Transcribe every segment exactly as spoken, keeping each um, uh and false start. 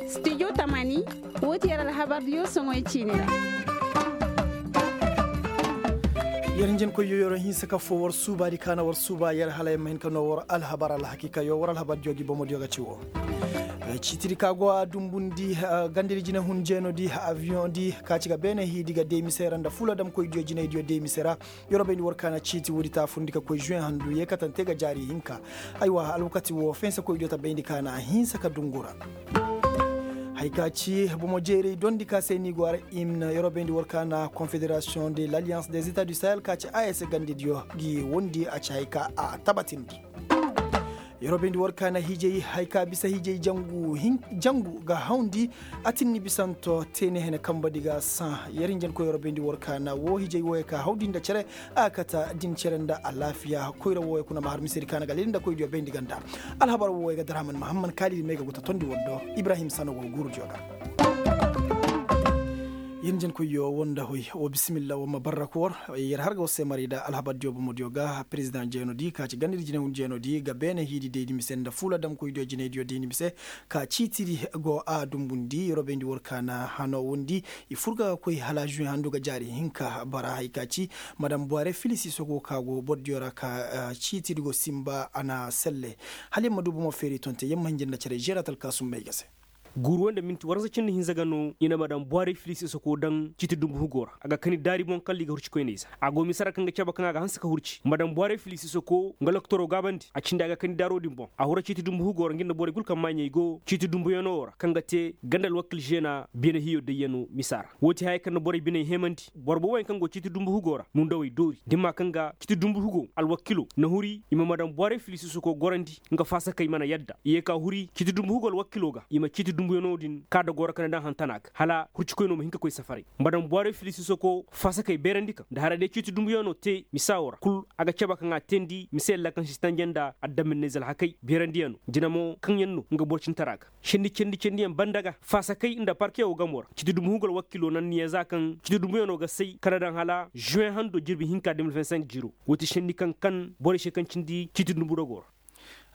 Studio tamani. Woo ti yer alhabar diyo soŋoy ciini ra. Yer njenkoyyo yer hinsa ka foo war suubaadi ka na war suuba yer hala yer ma hin ka noo war alhabar alhakiikayo war alhabar diyo gi bomo diyo ga ci woo. Ciitidi ka go a dumbundi gandadi jinehun jeenodi aviyoŋdi ka ci ga beene hiidi ga deemise ra nda fuladamkoy diyo jinay diyo deemise ra. Yer wo bayndi war ka na ciiti woodi taafundi ka koy žuweŋ handu yeekatante ga jaari hinka. Aywa alwakati woo fensekoy diyo ta bayndi ka na a hinsa ka dungu ra. Haya ka ci bomo jeeray dondi ka se ni go a ra. Imn yer wo bayndi war ka na confederasiyoŋ de l'alliance des etats du sahel ka ci a s gandi diyo gi wondi a ci haya ka a tabatindi. Yer wo bayndi war ka na hiijay haya ka bisa hiijay jangu ga hawndi. A tinni bisanto teene hene kambadi ga saŋ yer hinjankoy yer wo bayndi war ka na woo hiijay wooyey ka hawndi nda cere. A kata din cere nda alaafiya koyra wooyey kuna ma har misedi ka na ga lili nda koy diyo bayndi ganda. Alhabar wooyey ga darhaman mahamman kaalidi may ga guta tondi war do. Ibrahim sano go guuru diyo ga. Yer njenkoyyo woo nda hoy woo bisimilla woo ma barra ka war. Yer har ga war se maray nda alhabar diyo bomo diyo ga perezidaŋ jeenodi ka ci gandadi jinay hun jeenodi ga beene hiidi daydi mise nda fuladamkoy diyo jinay diyo daydi mise. Ka ciitiri go a dumbundi yer wo bayndi war ka na hano wondi. I fur ga ga koy hala žuweŋ handu ga jaari hinka bara haya ka ci madam buware filisi sogo ka go boro diyo ra ka ciitiri go simba a na selle. Hala yer ma du bomo feeri tonte yer ma hinja nda cere žeeratal ka sumbay ga se. Guuru wo nda minti waransa cindi hinza ga no i na madam buware filisi sogo daŋ ciiti dumbu hugo ra a ga kani daari boŋ kala i ga hurci koyney za. A go mise ra kaŋ ga cabe kaŋ a ga hanse ka hurci madam buware filisi sogo nga loktoroo gaabandi a cindi a ga kani daaro din boŋ a hura ciiti dumbu hugo ra nga nda borey kul kaŋ maaɲey go ciiti dumbuyanoo ra kaŋ ga te ganda alwakil žeena beene hiyo dayyanoo misa ra. Woo ti haya kaŋ na borey biney hemandi boro booboyaŋ kaŋ go ciiti dumbu hugo ra nundawey doori dimma kaŋ ga ciiti dumbu hugo alwakilo na huri i ma madam buware filisi sogo gorandi. Nga faasakey mana yadda i ye ka huri ciiti dumbu hugo alwakilo ga i ma ciiti dumbuyanoo din ka dogoo ra ka na daŋ hantana ga hala hurcikoynoo ma hin ka koy safaray. Madam buware filisi sogo faasakey beerandi kaŋ nda hara day ciiti dumbuyanoo te misa woo ra kul a ga cebe kaŋ a teendi mise yalla kaŋ si tanjanda addaminayze alhakey beerandiyanoo jina mo kaŋ yaŋ no nga boro cintara ga. Candi candi candiyaŋ banda ga faasakey nda parke woo gamo ra ciiti dumbu hugo alwakilo nanniya za kaŋ ciiti dumbuyanoo ga say ka na daŋ hala žuweŋ hando jirbi hinka de mil vingt cinq jiro. Woo ti candi kaŋ kan borey se kaŋ cindi ciiti dumbu dogoo ra.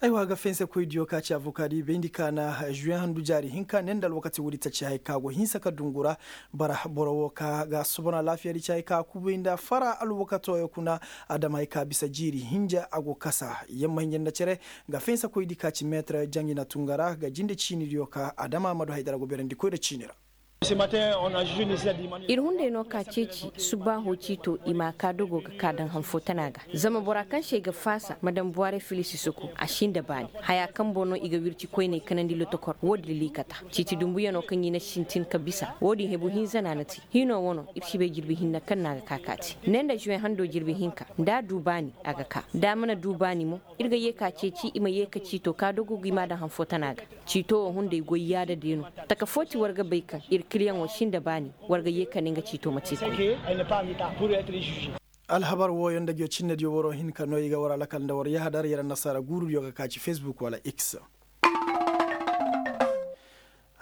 Aywa ga fensekoy diyo ka ci avoka di bayndi ka na žuweŋ handu jaari hinka ne nda alwakati woodi taci haya ka go hinsa ka dungu ra. Bara boro woo ka ga sobono alaafiyadi ci haya ka kubay nda fara alwakatoo yo kuna. Adama haya ka bisa jiiri hinja a go kasa yer ma hinja nda cere. Ga fensekoydi ka ci meetir jaŋ i na tun ga ra ga jinde ciinidiyo ka adama ma du haydara go beerandi koyra ciini ra. Ir hunday no ka ceeci subbaaho ciito i ma a ka dogo ga ka daŋ han foo tana ga. Zama bora kaŋ se ay ga faasa madam buware filisi soko a si nda baani. Haya kaŋ boŋ no i ga wirci koyney kanandi lotokor wo-din liikata. Ciiti dumbuyanoo kaŋ i na sintin ka bisa wo-din hebu hinza no a na te. Hiinoo wano ir si bay jirbi hinne kaŋ no a ga ka ka te ne nda zuwe hando jirbi hinka. Da a du baani a ga ka da a mana du baani mo. Ir ga yee ka ceeci i ma yee ka ciito ka dogo ga i ma a daŋ han foo tana ga. Ciito wo hunday goy yaada day no. Taka foo ti war ga bay kaŋ ir kiliyaŋo si nda baani. War ga yee ka ne nga ciito ma te koy. Alhabar wooyo nda ngi yo cinnediyo waroo hin ka no i ga war alakal nda war yahadar yer annasaara guurudiyo ga ka ci fesbuk wala x.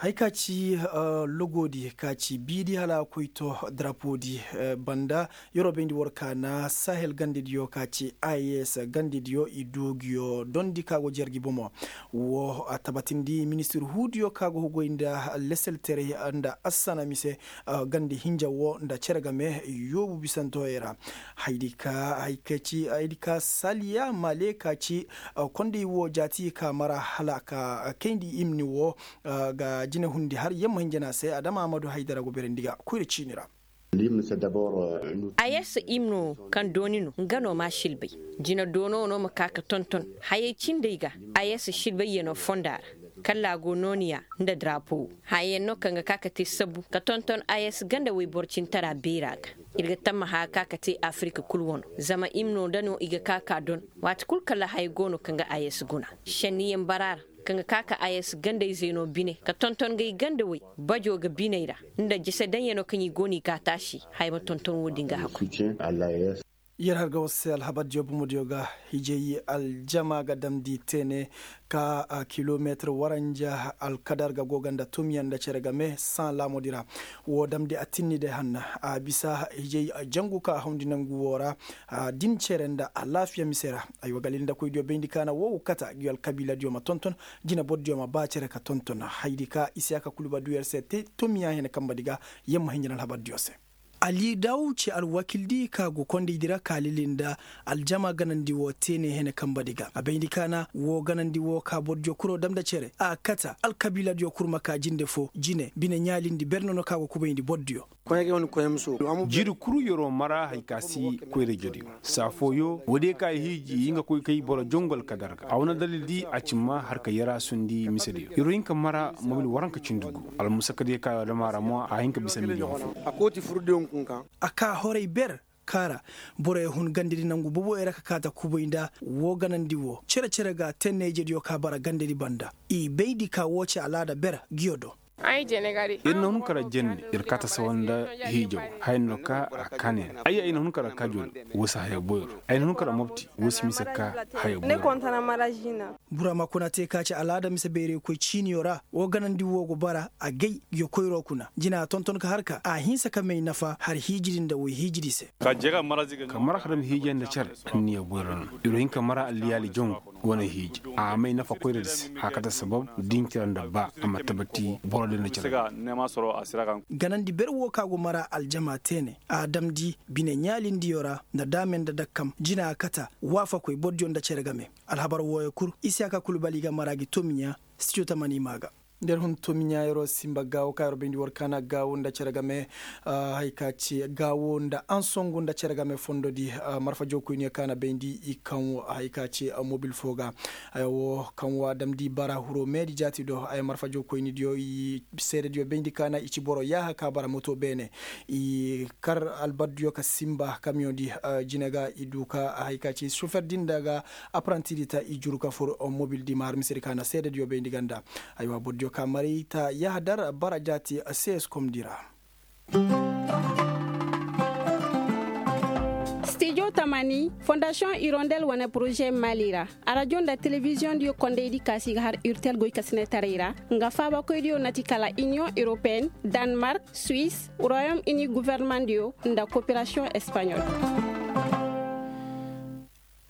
Hay ka ci logoodi ka ci biidi hala a koy to darapoodi banda. Yeroo bayndi war ka na sahel gandediyo ka ci a s gandediyo i du ngi yo dondi ka go jer gi bomo. Wo a tabatindi ministir huudiyo ka go goy nda leselteray nda assana mise gandi hinja wo nda cere game yoobu bisantoyey ra. Haydi ka saliya male ka ci kondey wo jaati ka mara hala ka kayndi imni wo ga jine hundi har yamma hinja no a se adama amadu haydara go berandi ga koyra ciini ra. Ayes imno kaŋ dooni no nga no ma silbay. Jina doono no ma ka ka tonton hayey cindey ga. Ayes silbayyanoo fonda ra kalla a go nooniya nda darapo wo. Hayayaŋ no kaŋ ga ka ka te sabu ka tonton ayes ganda wayboro cintara beera ga. Ir ga tammaha ka ka te afirika kul wano zama imno da no i ga ka ka don. Waati kul kala haya go no kaŋ ga ayes guna senniyaŋ bara ra. Kaŋ ga ka ka ayes gandayzey no bine ka tonton ga i ganda way bajo ga biney ra. Nda jese daŋyanoo kaŋ i go no i ga a taasi haya ma tonton wo-din ga hakku. Yer har ga war se alhabar diyo bomo diyo ga. Hijay aljama ga damndi teene ka kilometir waranja alkadar ga go ga nda tumiyaŋ nda cere game saŋ laamudi ra. Wo damndi a tinni day hanna a bisa hijay jangu ka a hawndi nangu wo ra. Din cere nda alaafiya mise ra. Aywa galil nda koy diyo bayndi kaana wo kata ngi alkabiila diyo ma tonton. Jina boro diyo ma ba cere ka tonton haydi ka isiyaka kulu ba du yer se te tumiyaŋ hene kamba di ga. Yer ma hinjin alhabar diyo se. Ali daw ci alwakildi ka go kondaydi ra ka lili nda aljama ganandi wo teene hene kambadi ga a bayndi kaana wo ganandi wo ka bordiyo kuro dam nda cere a kata alkabiiladiyo kul ma ka jinde fo jine bine ɲaalindi berne no ka go kubayndi bordiyo. Jiiri kul yer'o mara hari ka si koyra-ijediyo saa fooyo woodiyo ka i hiiji i nga koy kay boro jongu alkadar ga a wane dalildi a ci ma har ka yer'asundi misediyo yer'o hin ka mara mobil waranka cindi gu. Almusakadiyo ka yer'o dam a ra mo a hin ka bisa miliyoŋ fo. A ka horay ber kaara boroyo hun gandadi nangu boboyo ra ka kaata kubay nda woo ganandi woo cere-cere ga tenne-ijediyo ka bara gandadi banda i bayndi ka woo ci alaada ber ngiyo do. Ir na hun kara jenne ir kaata sawa nda hiijaw haya no ka a kaanay ra ayya ir na hun kara kaajo do woo si haya boyro ay na hun kara mopti woo si mise ka haya boyro. Burama kuna te ka ci alaada mise bayraykoy ciiniyo ra woo ganandi woo go bara agay ngiyo koyro kuna jina a tonton ka har ka a hinsa ka may nafa har hiijidi nda woy hiijidi se. Ka mara ka dam hiijay nda cere anniya boyro no ir wo hin ka mara alliyaali jongu wane hiiji a may nafa koyradi se haya ka ta sabab dincira nda ba a ma tabati boro din nda cere. Ganandi ber woo ka go mara aljama teene a damndi bine ɲaalindiyo ra nda daame nda dakkam jina a kata waafakoy bordiyo nda cere game. Alhabar wooyo kul isiyaka kul bali ga mara gi tomiɲa. Studio tamani maa ga. Nda yer hun tomiɲa yer'o sinba gaawo ka yer'o bayndi war kaana gaawo nda cere game. Hay ka ci gaawo nda ansongu nda cere game fondodi. Marfa jookoyniyo kaana bayndi i kaŋ wo hay ka ci mobil foo ga. Ay wo kaŋ wo a damndi bara huroo meedi jaati do ay marfa jookoynidiyo i seedediyo bayndi kaana i ci boro yaaha ka bara moto beene. I kar albardiyo ka sinba kamiyoŋ di jine ga i du ka hay ka ci sofer din da ga. Aparantidi ta i juru ka fur mobil di ma har misedi ka na seedediyo bayndi ganda. Aywa bordiyo ka maray ta yahadar bara jaati. Sees komdi ra. Stijo tamani fondasiyoŋ irondel wane poroze mali ra. Arajo nda telebiziyoŋ diyo kondaydi kaasi ga har urtel goy kasinetaray ra. Nga faabakoydiyo nati kala iniyoŋ europeen, danmark, suwis, royom ini guvernemandiyo nda koperasiyoŋ espaɲol.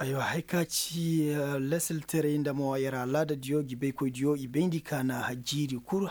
Aywa hay ka ci lesilteray nda mo yer alaadadiyo gi baykoydiyo i bayndi ka na jiiri kul.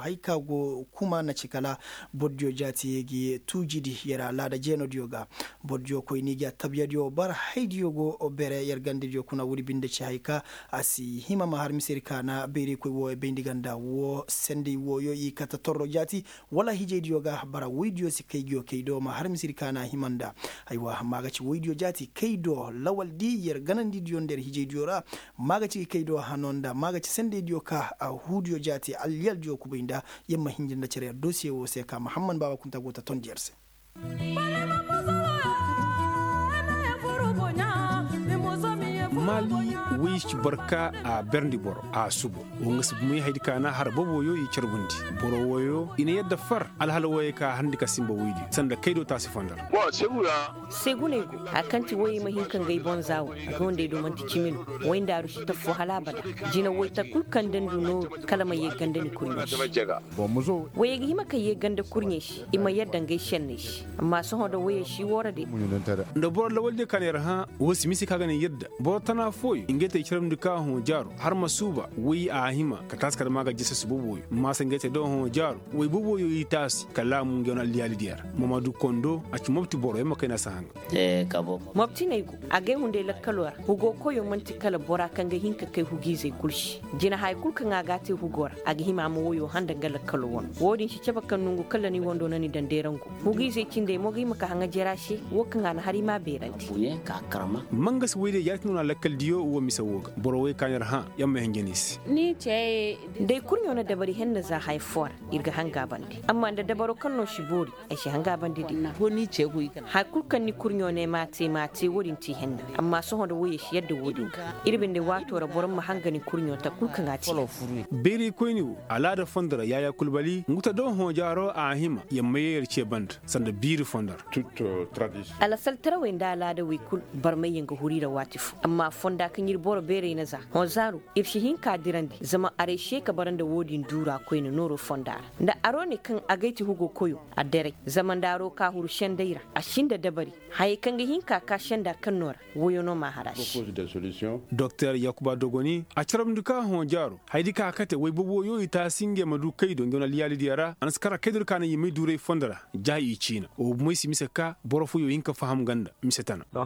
Hay ka go kuma na ci kala bordiyo jaati gi tuujidi yer alaada jeenodiyo ga. Bordiyo koyni gi attabyadiyo bara haydiyo go bere yer gandadiyo kuna woodi binde ci hay ka a si hima ma har misedi ka na bayraykoy wooyo bayndi ganda woo senday wooyo i kata torro jaati. Wala hijaydiyo ga bara woydiyo si kay giyo kay do ma har misiri kaana hima nda. Aywa maaga ci woydiyo jaati kay do lawaldi yer ganandidiyo nda yer hijaydiyo ra. Maaga ci kay do hano nda maaga ci sendeydiyo ka huudiyo jaati alyaldiyo kubay nda. Yer ma hinja nda cere yer dosiye woo se ka mahamman baaba kunta go ta tondi yer se. Maali woy ci boro ka a berndi boro a subo. Wo nga si bumey haydi ka na har boboyo i carbundi. Boro woyo i na yadda far alhala woyey ka harndi ka simba woydiyo sanda kaydo taasi fondor. Seguney go hari kaŋ ti woyey ma hin ka ngay boŋ za wo. Gondey do man'ti cimi no. Woy ndaaru si taffo hala abada. Jina woytaku kul kaŋ nda ni du nooru kala ma ye ganda ni koyne se. Woyey ga hima ka ye ganda kurɲey se i ma yadda ngay senney se. Amma sohõ da woyey si woora de. Nda boro lawaldiyo ka na yer hã wo si mise ka ga na yadda boro tana fooyo ngey te i carabndi ka hõ jaaro har ma suuba woy a hima ka taasi kala ma ga jese si boboyo ma se ngey te do hõ jaaro woy boboyo i taasi kala a mu ngey wane alliyaalidiyo ra. Mamadu kondo a ci mopti boro yer ma kayna si haŋa. Moptiney go agay hunday lakkaloo ra. Hugoo koyoo man'ti kala boraa kaŋ ga hin ka kay hugiizey kul se. Jina haya kul kaŋ a g'a te hugoo ra a ga hima a ma woyoo hã nda nga lakkaloo wanoo. Woo din si cabe kaŋ nongu kala ni wandoo na ni daŋ deerangu. Hugiizey cindey mo ga hima ka haŋa jera se. Woo kaŋ a na har i m'a beerandi. Mangasi woydiyo jaati no na lakkaldiyo woo. Boro wey ka na ir hã, yer ma hinja ni se. Day kurɲo na dabari henna za haya foo ra, ir ga hanga bande. Amma nda dabaro kaŋ no si boori, ay si hanga bande day. Haya kulu kaŋ ni kurɲo ne m'a te m'a te wo-din ti henna. Amma sohõ nda woyey si yadda wo-din ga. Ir binde waato ra boro ma hanga ni kurɲo ta kulu kaŋ a te. Bayray koyni wo, alaada fondo ra yaaya kulbali ngu ta do hõ jaaro a hima, yer ma ye yer ce banda sanda biiri fondo ra. Alasaltarawey nda alaadawey kulu, barmayyaŋ ga huru i ra waati fo. Amma fonda kaŋ ir boro beeray na za hõ zaaro, ir si hin k'a dirandi zama aray se ka bara nda wo-din duura koyne nooro fonda ra. Nda aro ne kaŋ agay ti hugo koyo, a deray. Zama nda aro ka huru senday ra, a si nda dabari. Hayey kaŋ ga hin ka ka senda kaŋ no ra, woyo no m'a har a se. Doktor yakuba dogoni a carabndi ka hõ jaaro, hayadi ka kate woy bobo yo i taasi ngey ma du kay do ngey wane alyaalidiyo ra a na si kar a kay do ka na i may duuray fondo ra. Ja i ciina wo bomey si mise ka boro fooyo hin ka faham ganda mise tana. A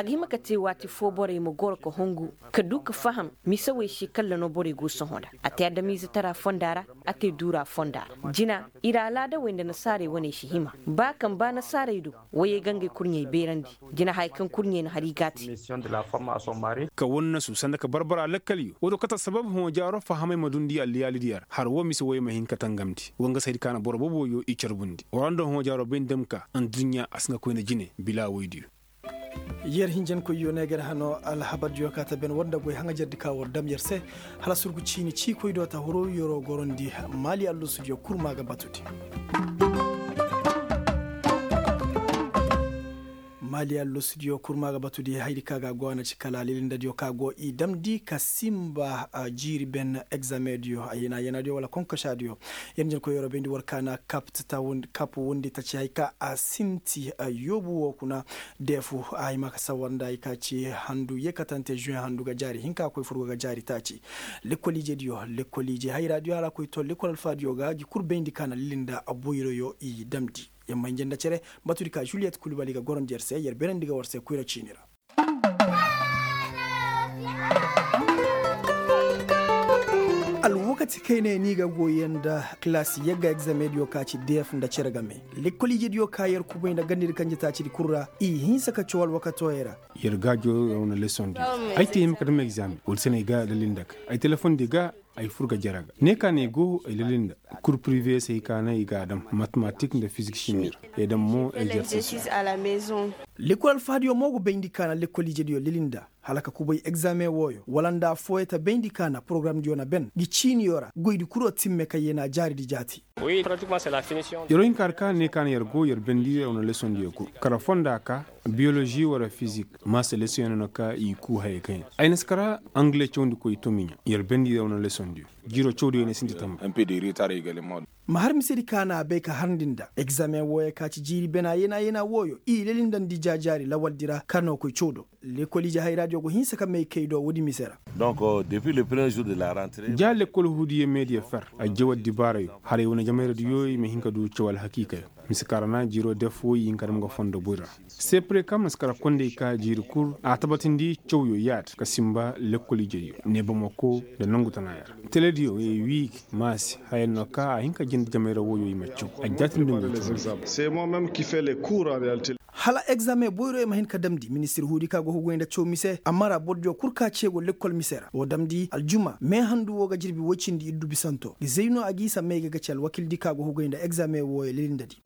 ga hima ka te waati fo borey ma goro ka hungu, ka du ka faham mise wey se kalla no borey go sohõ nda. A te adamiizetara fonda ra, a te duura fonda ra. Jina, ir alaadawey nda nasaarey waney si hima. Ba kaŋ ba nasaarey do, woyey ga ngey kurɲey beerandi. Jina haya kaŋ kurɲey na har i g'a te. Ka wannasu sanda ka barbara lakkaliyo wo do kate assabab hõ jaaro fahamey ma dundi alliyaalidiyo ra har wo mise woyey ma hin ka tangamndi wo nga saydi ka na boro booboyo i carbundi wara nda hõ jaaro bay nda ma ka. Adduɲɲa a si nga koyne jine bila woydiyo. Yer hinjankoyyo ne ga yer hano alhabardiyo ka ta ben war nda goy haŋajardi ka war dam yer se. Hala surgu ciini ciikoy do ta huru yeroo gorondi. Maali allusudiyo kurma ga batudi. Maali allusudiyo kurma ga batudi hayadi ka ga a go a na ci kala lilindadiyo ka go i damndi ka simba jiiri ben egzamediyo a yena yenadiyo wala konkosaadiyo. Yer nja ni koy yeroo bayndi war ka na kap wundi taci hay ka a sinti yoobu woo kuna. Deefu a hima ka sawar nda hay ka ci handu yeekatante zuwe handu ga jaari hinka koy furgo ga jaari taaci. Lekkol ijediyo lekkol ije hayraadiyo hala a koy to lekkol alfaadiyo ga ngi kul bayndi ka na lilinda boyroyo i damndi. Yer ma hinja nda cere batudi ka juliyet kulbali ga gorondi yer se yer beerandi ga war se koyra ciini ra. Alwakati kayne ni ga goy yaŋ nda kilaasi yagga egzamediyo ka ci deef nda cere game. Lekkol ijediyo ka yer kubay nda gandedi kanjetaacidi kul ra i hinsa ka caw alwakatooyey ra. Yer ga joro yer wane lesondi. Ay te hima ka dam egzame wala se no ay ga dalil nda ka ay telefondi ga. Ay fur ga jere ga ne ka no ay go ay lali nda kur pirive se ay ka no ay ga a dam matematik nda fizik simi ra. Ay dam mo ay jerse. Lekkol alfahadiyo mo go bayndi ka na lekkol ijediyo lali nda hala ka kubay egzame wooyo wala nda affooyo ta bayndi ka na porogaramdiyo na ben ngi ciiniyo ra goydi kuro timme kaŋ yee na jaaridi jaati. Yeroo hinka har ka ne ka na yer go yer bendi yer wane lesondiyo kul kara fonda ka biyolozi wala fizik. Maasa lesoŋ yaŋ no ka i kuu hayey kaŋ yaŋ ay na si kara angale cawndi koy tomiɲa yer bendi yer wane lesondiyo. Jiiroo cawdiyo yaŋ ay sinti tamba. Ma har misedi ka na a bay ka harndi nda egzame wooyo ka ci jiiri bena yeena yeena wooyo i lelindandi jaajaari lawaldi ra ka no koy caw do. Lekkol ije hayraadiyo go hinsa ka may kay do woodi mise ra. Ja lekkol huudiyo meediyo fer a jaw addibaarayo haray wane jamayradiyo i ma hin ka du caw alhakiikayo. Mise kaŋ ra na jiiroo def woy i hin ka dam ga fondo boy ra. Sepre kaŋ ma si kara kondey ka jiiri kul a tabatindi cawyo yaada ka simba lekkol ijediyo neebamako nda nongu tanaaya ra. Telediyo ye wiigi maasi haya no ka a hin ka jinde jamayra woyo i ma caw a jaatindi ngo caw. Hala egzame boyroyo ma hin ka damndi ministir huudi ka go ka goy nda caw mise a mara bordiyo kul ka ce go lekkol mise ra woo damndi aljuma me handu woo ga jirbi woy cindi iddu bisanto ga zayno a ga isa may ga ga ci alwakildi ka go ka goy nda egzame wooyo lelindadi.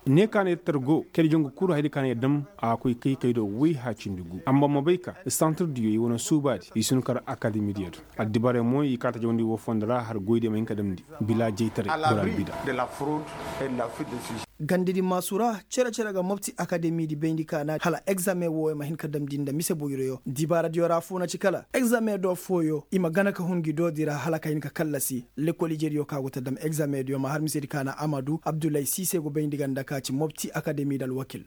Ne ka na yer tar go kayda jongu kul haydi ka na yer dam a ga koy kay kaydo woy haacindi gu amma ma bay ka santirdiyo i wane suubaadi i si hin kar akademidiyo do. Addibaray mo i kaata jawandi woo fondo ra har goydiyo ma hin ka damndi bila jaytaray bora albida. Gandedi maasu ra cere cere ga mopti akademidi bayndi ka na hala egzame wooyo ma hin ka damndi nda mise boyroyo dibaaradiyo ra affoo na ci kala egzame do fooyo i ma gana ka hun ngi doodi ra hala ka hin ka kallasi. Lekkol ijediyo ka go ta dam egzamediyo ma har misedi ka na amadu abdullahi siise go bayndi ganda ka ci mopti akademidi alwakil.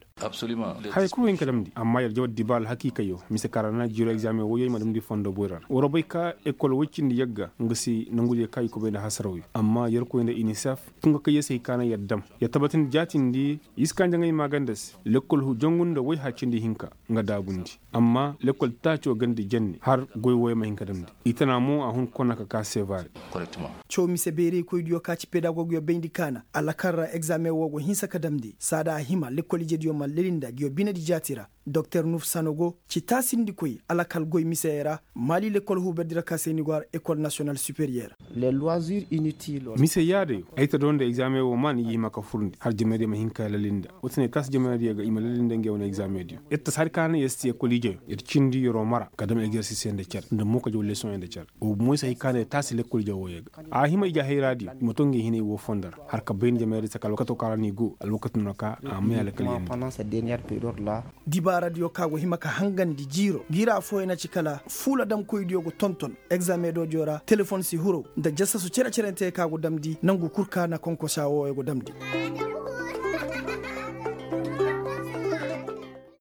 Haya kul wo hin ka damndi amma yer jaw addibaara alhakiikayo mise kaŋ ra na jiiro egzame woyey ma damndi fondo boy ra waroo bay ka ekol woy cindi yagga nga se nongudiyo kaŋ i kubay nda hasarawyo amma yerkoy nda inisef tunga kaŋ yer se hay ka na yer dam yer tabatindi. Yaatindi, i si kaa njaŋay maaganda se lekkol huu jangu nda woy haa cindi hinka nga daabundi. Amma lekkol taacoo ganda jenne har goy wooyo ma hin ka damndi. I tana mo a hun kona ka kaa seevaare. Caw mise bayraykoydiyo ka ci pedagogyo bayndi kaana alakal ra egzaameŋ woo go hinsa ka damndi saada a hima lekkol ijediyo ma leli nda nguyo binedi jaati ra. Doktor nuf sanogo ci taasindikoy alakal goy miseyey ra. Maali lekkol huuberdi ra ka se ni go har ekol nasiyonal superiyer. Mise yaadayo ay ta doo nda egzaameŋ woo maa ni ga hima ka furndi har jamaydiyo ma hin ka leli nda. Woo ti ne taasi jamaydiyo ga i ma leli nda ngey wane egzaameŋdiyo. Yer ta si hari ka na yer si ti ekol ijeyo yer cindi yeroo mara ka dam egzersiisiyo nda cer nda mookajo lesoŋyo nda cer. Woo bumo ay si hay ka na yer taasi lekkol ije wooyo ga a hima ije hayraadiyo i ma too ngey hinay woo fondo ra har ka bay nda jamaydiyo se ka alwakatoo ka ra no i go alwakati no ka a may alkal yandi. Dibaaradiyo ka go hima ka hangandi jiiro ngi ra affooyaŋ na ci kala fuula damkoydiyo go tonton. Egzaameŋ doojo ra telefon si huru nda jasasu cere-cerenteyaŋ ka go damndi nangu kul ka na konkosa wooyo go damndi.